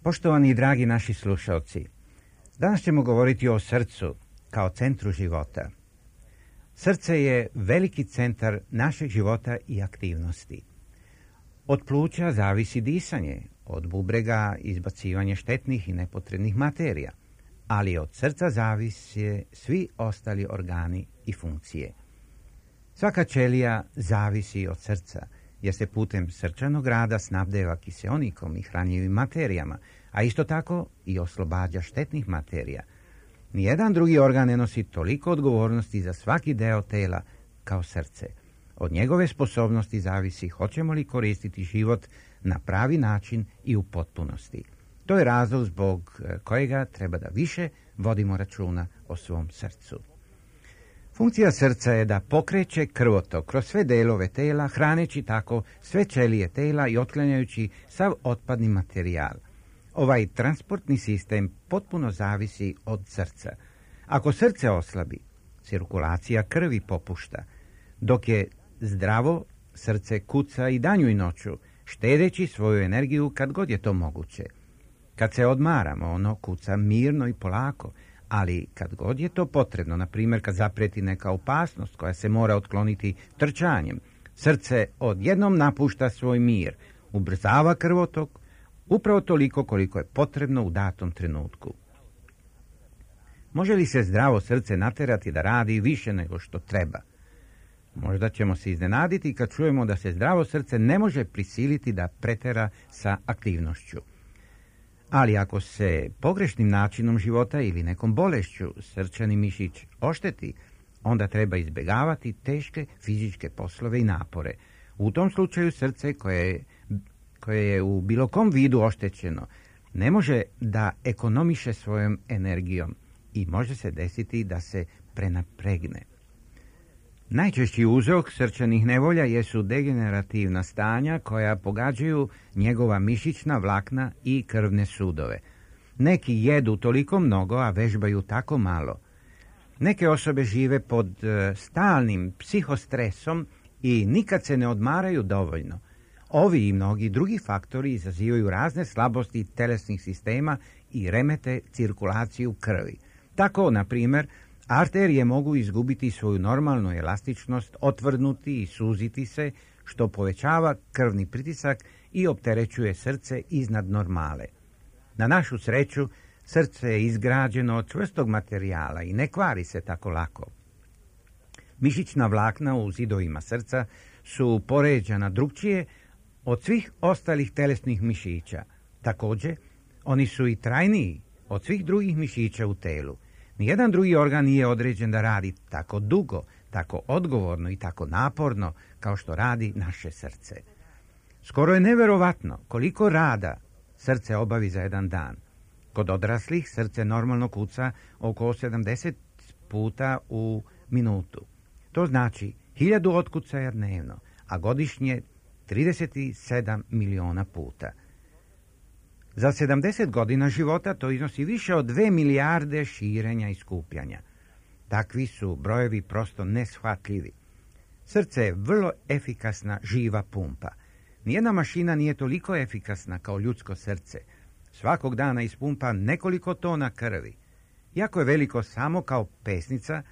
Poštovani i dragi naši slušalci, danas ćemo govoriti o srcu kao centru života. Srce je veliki centar našeg života i aktivnosti. Od pluća zavisi disanje, od bubrega izbacivanje štetnih i nepotrebnih materija, ali od srca zavise svi ostali organi i funkcije. Svaka ćelija zavisi od srca, jer se putem srčanog rada snabdeva kiseonikom i hranjivim materijama, a isto tako i oslobađa štetnih materija. Nijedan drugi organ ne nosi toliko odgovornosti za svaki deo tela kao srce. Od njegove sposobnosti zavisi hoćemo li koristiti život na pravi način i u potpunosti. To je razlog zbog kojega treba da više vodimo računa o svom srcu. Funkcija srca je da pokreće krvotok kroz sve delove tela, hraneći tako sve ćelije tela i otklanjajući sav otpadni materijal. Ovaj transportni sistem potpuno zavisi od srca. Ako srce oslabi, cirkulacija krvi popušta, dok je zdravo, srce kuca i danju i noću, štedeći svoju energiju kad god je to moguće. Kad se odmaramo, ono kuca mirno i polako, ali kad god je to potrebno, na primjer kad zapreti neka opasnost koja se mora otkloniti trčanjem, srce odjednom napušta svoj mir, ubrzava krvotok, upravo toliko koliko je potrebno u datom trenutku. Može li se zdravo srce naterati da radi više nego što treba? Možda ćemo se iznenaditi kad čujemo da se zdravo srce ne može prisiliti da pretera sa aktivnošću. Ali ako se pogrešnim načinom života ili nekom bolešću srčani mišić ošteti, onda treba izbjegavati teške fizičke poslove i napore. U tom slučaju srce koje je u bilo kom vidu oštećeno ne može da ekonomiše svojom energijom i može se desiti da se prenapregne. Najčešći uzrok srčanih nevolja jesu degenerativna stanja koja pogađaju njegova mišićna vlakna i krvne sudove. Neki jedu toliko mnogo, a vežbaju tako malo. Neke osobe žive pod stalnim psihostresom i nikad se ne odmaraju dovoljno. Ovi i mnogi drugi faktori izazivaju razne slabosti telesnih sistema i remete cirkulaciju krvi. Tako, na primjer, arterije mogu izgubiti svoju normalnu elastičnost, otvrdnuti i suziti se, što povećava krvni pritisak i opterećuje srce iznad normale. Na našu sreću, srce je izgrađeno od čvrstog materijala i ne kvari se tako lako. Mišićna vlakna u zidovima srca su poređana drukčije od svih ostalih telesnih mišića. Također, oni su i trajniji od svih drugih mišića u telu. Nijedan drugi organ nije određen da radi tako dugo, tako odgovorno i tako naporno kao što radi naše srce. Skoro je neverovatno koliko rada srce obavi za jedan dan. Kod odraslih srce normalno kuca oko 70 puta u minutu. To znači 1000 otkucaja dnevno, a godišnje 37 miliona puta. Za 70 godina života to iznosi više od 2 milijarde širenja i skupljanja. Takvi su brojevi prosto neshvatljivi. Srce je vrlo efikasna živa pumpa. Nijedna mašina nije toliko efikasna kao ljudsko srce. Svakog dana ispumpa nekoliko tona krvi. Iako je veliko samo kao pesnica,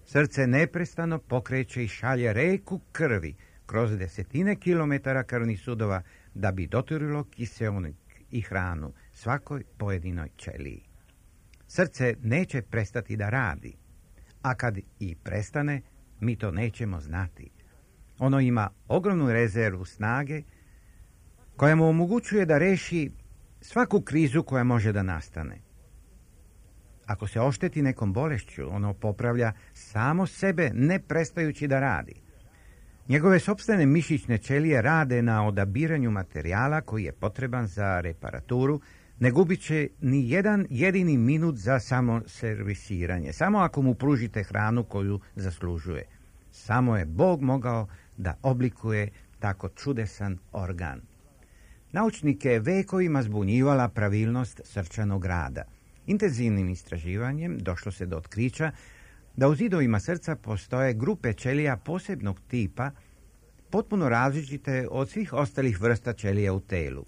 srce neprestano pokreće i šalje reku krvi kroz desetine kilometara krvnih sudova da bi doturilo kiseonik i hranu svakoj pojedinoj ćeliji. Srce neće prestati da radi, a kad i prestane, mi to nećemo znati. Ono ima ogromnu rezervu snage koja mu omogućuje da reši svaku krizu koja može da nastane. Ako se ošteti nekom bolešću, ono popravlja samo sebe ne prestajući da radi. Njegove sopstvene mišićne ćelije rade na odabiranju materijala koji je potreban za reparaturu, ne gubit će ni jedan jedini minut za samoservisiranje, samo ako mu pružite hranu koju zaslužuje. Samo je Bog mogao da oblikuje tako čudesan organ. Naučnike je vekovima zbunjivala pravilnost srčanog rada. Intenzivnim istraživanjem došlo se do otkrića da u zidovima srca postoje grupe ćelija posebnog tipa, potpuno različite od svih ostalih vrsta ćelija u telu.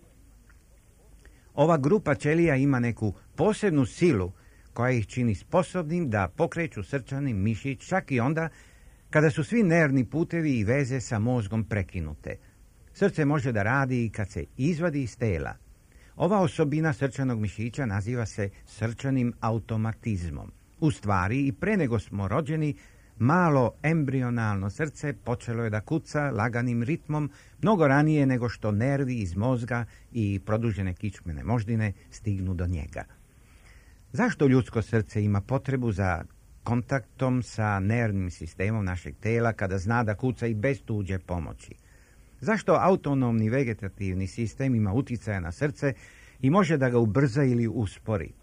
Ova grupa ćelija ima neku posebnu silu koja ih čini sposobnim da pokreću srčani mišić čak i onda kada su svi nervni putevi i veze sa mozgom prekinute. Srce može da radi i kad se izvadi iz tela. Ova osobina srčanog mišića naziva se srčanim automatizmom. U stvari, i pre nego smo rođeni, malo embrionalno srce počelo je da kuca laganim ritmom mnogo ranije nego što nervi iz mozga i produžene kičmene moždine stignu do njega. Zašto ljudsko srce ima potrebu za kontaktom sa nervnim sistemom našeg tela kada zna da kuca i bez tuđe pomoći? Zašto autonomni vegetativni sistem ima uticaja na srce i može da ga ubrza ili uspori?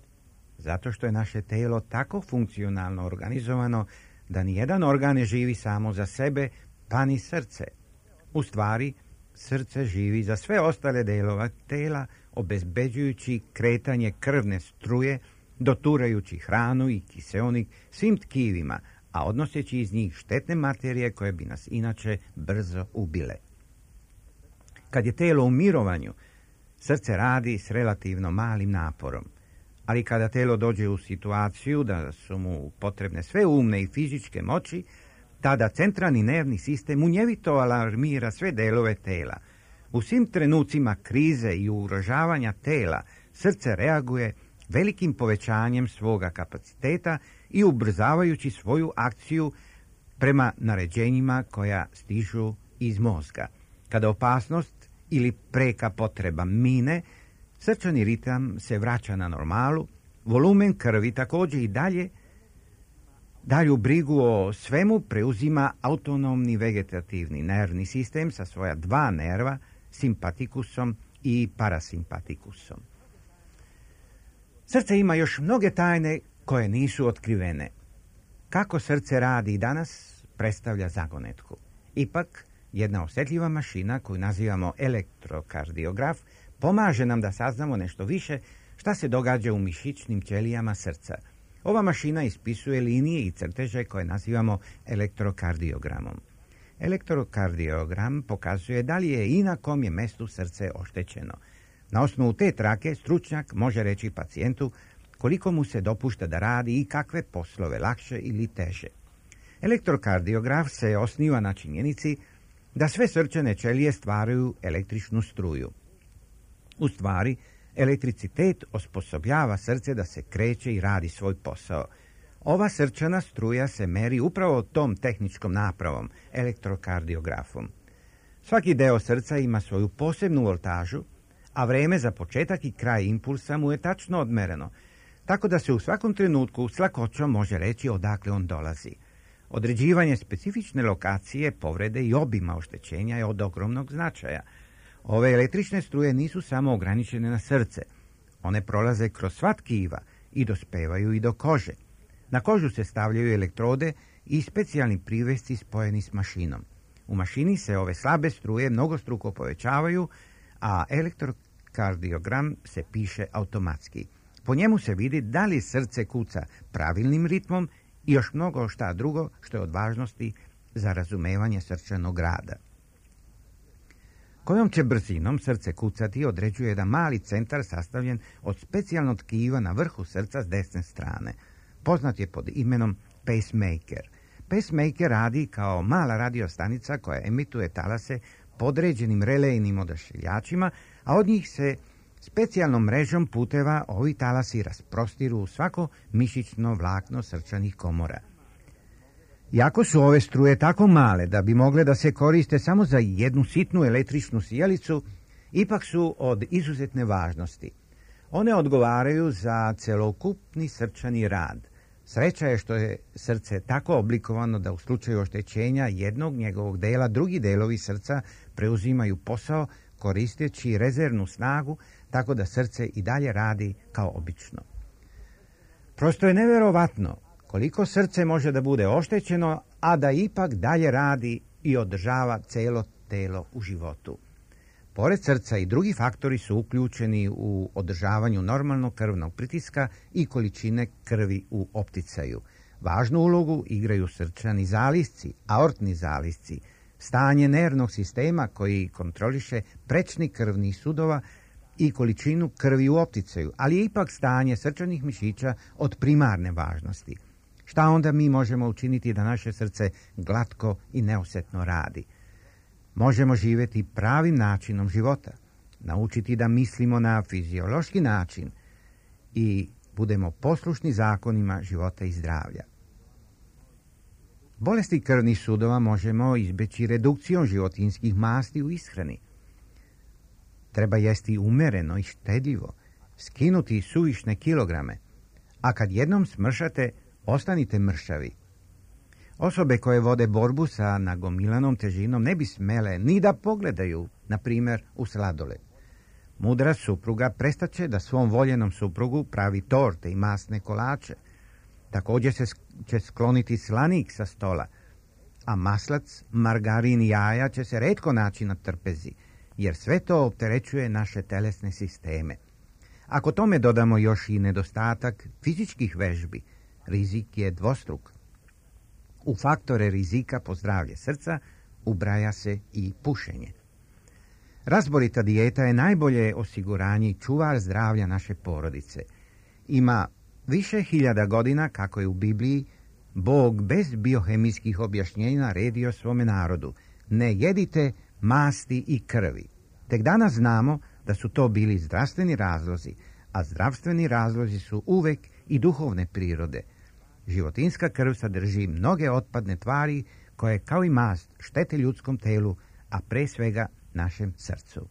Zato što je naše telo tako funkcionalno organizovano da nijedan organ ne živi samo za sebe, pa ni srce. U stvari, srce živi za sve ostale delove tela, obezbeđujući kretanje krvne struje, doturajući hranu i kiseonik svim tkivima, a odnoseći iz njih štetne materije koje bi nas inače brzo ubile. Kad je telo u mirovanju, srce radi s relativno malim naporom. Ali kada telo dođe u situaciju da su mu potrebne sve umne i fizičke moći, tada centralni nervni sistem munjevito alarmira sve delove tela. U svim trenucima krize i ugrožavanja tela srce reaguje velikim povećanjem svoga kapaciteta i ubrzavajući svoju akciju prema naređenjima koja stižu iz mozga. Kada opasnost ili preka potreba mine, srčani ritam se vraća na normalu, volumen krvi također i dalju brigu o svemu preuzima autonomni vegetativni nervni sistem sa svoja dva nerva, simpatikusom i parasimpatikusom. Srce ima još mnoge tajne koje nisu otkrivene. Kako srce radi i danas predstavlja zagonetku. Ipak, jedna osjetljiva mašina koju nazivamo elektrokardiograf pomaže nam da saznamo nešto više šta se događa u mišićnim ćelijama srca. Ova mašina ispisuje linije i crteže koje nazivamo elektrokardiogramom. Elektrokardiogram pokazuje da li je i na kom je mestu srce oštećeno. Na osnovu te trake stručnjak može reći pacijentu koliko mu se dopušta da radi i kakve poslove lakše ili teže. Elektrokardiograf se osniva na činjenici da sve srčane ćelije stvaraju električnu struju. U stvari, elektricitet osposobljava srce da se kreće i radi svoj posao. Ova srčana struja se meri upravo tom tehničkom napravom, elektrokardiografom. Svaki deo srca ima svoju posebnu voltažu, a vreme za početak i kraj impulsa mu je tačno odmereno, tako da se u svakom trenutku s lakoćom može reći odakle on dolazi. Određivanje specifične lokacije, povrede i obima oštećenja je od ogromnog značaja. Ove električne struje nisu samo ograničene na srce. One prolaze kroz sva tkiva i dospevaju i do kože. Na kožu se stavljaju elektrode i specijalni privesci spojeni s mašinom. U mašini se ove slabe struje mnogostruko povećavaju, a elektrokardiogram se piše automatski. Po njemu se vidi da li srce kuca pravilnim ritmom i još mnogo šta drugo što je od važnosti za razumevanje srčanog rada. Kojom će brzinom srce kucati određuje jedan mali centar sastavljen od specijalnog tkiva na vrhu srca s desne strane. Poznat je pod imenom pacemaker. Pacemaker radi kao mala radiostanica koja emituje talase podređenim relejnim odašiljačima, a od njih se specijalnom mrežom puteva ovi talasi rasprostiru u svako mišićno vlakno srčanih komora. Iako su ove struje tako male da bi mogle da se koriste samo za jednu sitnu električnu sijalicu, ipak su od izuzetne važnosti. One odgovaraju za celokupni srčani rad. Sreća je što je srce tako oblikovano da u slučaju oštećenja jednog njegovog dela, drugi delovi srca preuzimaju posao koristeći rezervnu snagu, tako da srce i dalje radi kao obično. Prosto je neverovatno koliko srce može da bude oštećeno, a da ipak dalje radi i održava celo telo u životu. Pored srca i drugi faktori su uključeni u održavanju normalnog krvnog pritiska i količine krvi u opticaju. Važnu ulogu igraju srčani zalisci, aortni zalisci, stanje nervnog sistema koji kontroliše prečni krvnih sudova i količinu krvi u opticaju, ali je ipak stanje srčanih mišića od primarne važnosti. Šta onda mi možemo učiniti da naše srce glatko i neosetno radi? Možemo živjeti pravim načinom života, naučiti da mislimo na fiziološki način i budemo poslušni zakonima života i zdravlja. Bolesti krvnih sudova možemo izbeći redukcijom životinjskih masti u ishrani. Treba jesti umereno i štedljivo, skinuti suvišne kilograme, a kad jednom smršate, ostanite mršavi. Osobe koje vode borbu sa nagomilanom težinom ne bi smele ni da pogledaju, na primjer, u sladoled. Mudra supruga prestaće da svom voljenom suprugu pravi torte i masne kolače. Također će skloniti slanik sa stola, a maslac, margarin i jaja će se retko naći na trpezi, jer sve to opterećuje naše telesne sisteme. Ako tome dodamo još i nedostatak fizičkih vežbi, rizik je dvostruk. U faktore rizika po zdravlje srca ubraja se i pušenje. Razborita dijeta je najbolje osiguranje i čuvar zdravlja naše porodice. Ima više hiljada godina, kako je u Bibliji, Bog bez biohemijskih objašnjenja naredio svome narodu: ne jedite masti i krvi. Tek danas znamo da su to bili zdravstveni razlozi, a zdravstveni razlozi su uvek i duhovne prirode. Životinjska krv sadrži mnoge otpadne tvari koje kao i mast štete ljudskom telu, a pre svega našem srcu.